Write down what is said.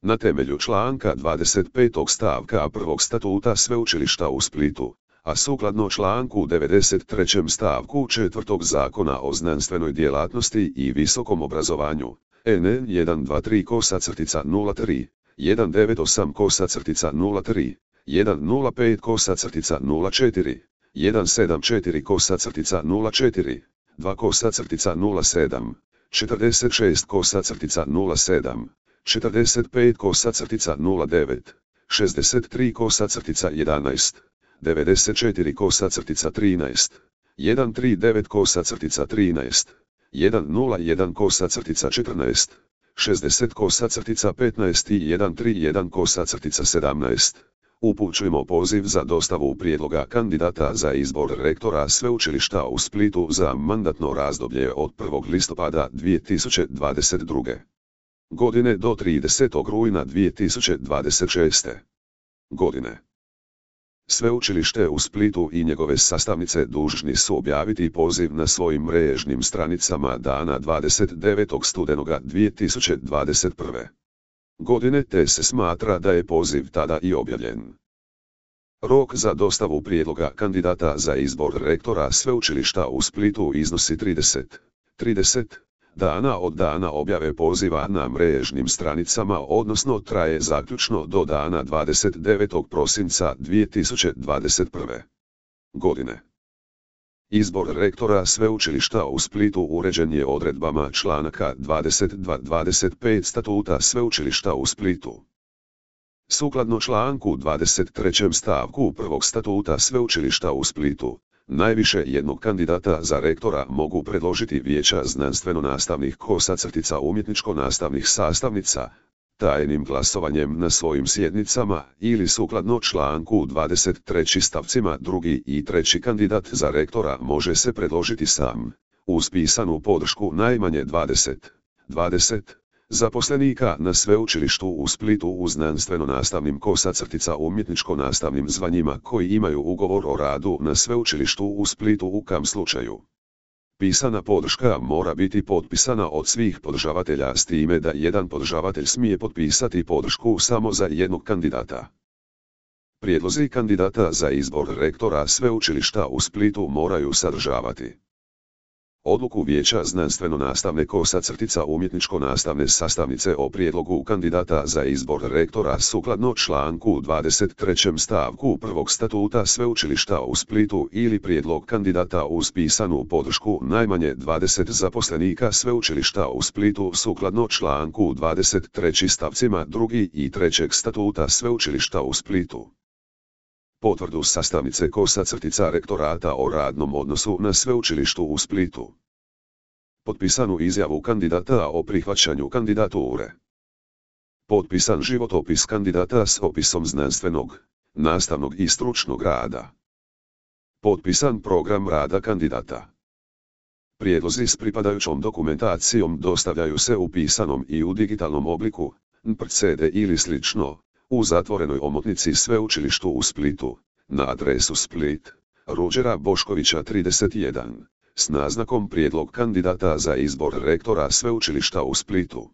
Na temelju članka 25. stavka 1. statuta Sveučilišta u Splitu, a sukladno članku 93. stavku 4. Zakona o znanstvenoj djelatnosti i visokom obrazovanju, N 123-03, 198-03, 105-04, 174-04, 2-07, 46-07, 45-09, 63-11, 94-13, 139-13, 101-14, 60-15 i 131-17. Upućujemo poziv za dostavu prijedloga kandidata za izbor rektora Sveučilišta u Splitu za mandatno razdoblje od 1. listopada 2022. godine do 30. rujna 2026. godine. Sveučilište u Splitu i njegove sastavnice dužni su objaviti poziv na svojim mrežnim stranicama dana 29. studenoga 2021. godine, te se smatra da je poziv tada i objavljen. Rok za dostavu prijedloga kandidata za izbor rektora Sveučilišta u Splitu iznosi 30 dana od dana objave poziva na mrežnim stranicama, odnosno traje zaključno do dana 29. prosinca 2021. godine. Izbor rektora Sveučilišta u Splitu uređen je odredbama članaka 22-25 statuta Sveučilišta u Splitu. Sukladno članku 23. stavku 1. statuta Sveučilišta u Splitu, najviše jednog kandidata za rektora mogu predložiti vijeća znanstveno-nastavnih umjetničko-nastavnih sastavnica, tajnim glasovanjem na svojim sjednicama ili sukladno članku 23. stavcima 2. i 3. kandidat za rektora može se predložiti sam, uz pisanu podršku najmanje 20 zaposlenika na Sveučilištu u Splitu u znanstveno-nastavnim umjetničko-nastavnim zvanjima koji imaju ugovor o radu na Sveučilištu u Splitu u kam slučaju. Pisana podrška mora biti potpisana od svih podržavatelja, s time da jedan podržavatelj smije potpisati podršku samo za jednog kandidata. Prijedlozi kandidata za izbor rektora Sveučilišta u Splitu moraju sadržavati odluku Vijeća znanstveno-nastavne umjetničko-nastavne sastavnice o prijedlogu kandidata za izbor rektora sukladno članku 23. stavku 1. statuta Sveučilišta u Splitu ili prijedlog kandidata uz pisanu podršku najmanje 20 zaposlenika Sveučilišta u Splitu sukladno članku 23. stavcima 2. i 3. statuta Sveučilišta u Splitu. Potvrdu sastavnice rektorata o radnom odnosu na Sveučilištu u Splitu. Potpisanu izjavu kandidata o prihvaćanju kandidature. Potpisan životopis kandidata s opisom znanstvenog, nastavnog i stručnog rada. Potpisan program rada kandidata. Prijedlozi s pripadajućom dokumentacijom dostavljaju se u pisanom i u digitalnom obliku, CD ili slično, u zatvorenoj omotnici Sveučilištu u Splitu, na adresu Split, Ruđera Boškovića 31, s naznakom prijedlog kandidata za izbor rektora Sveučilišta u Splitu.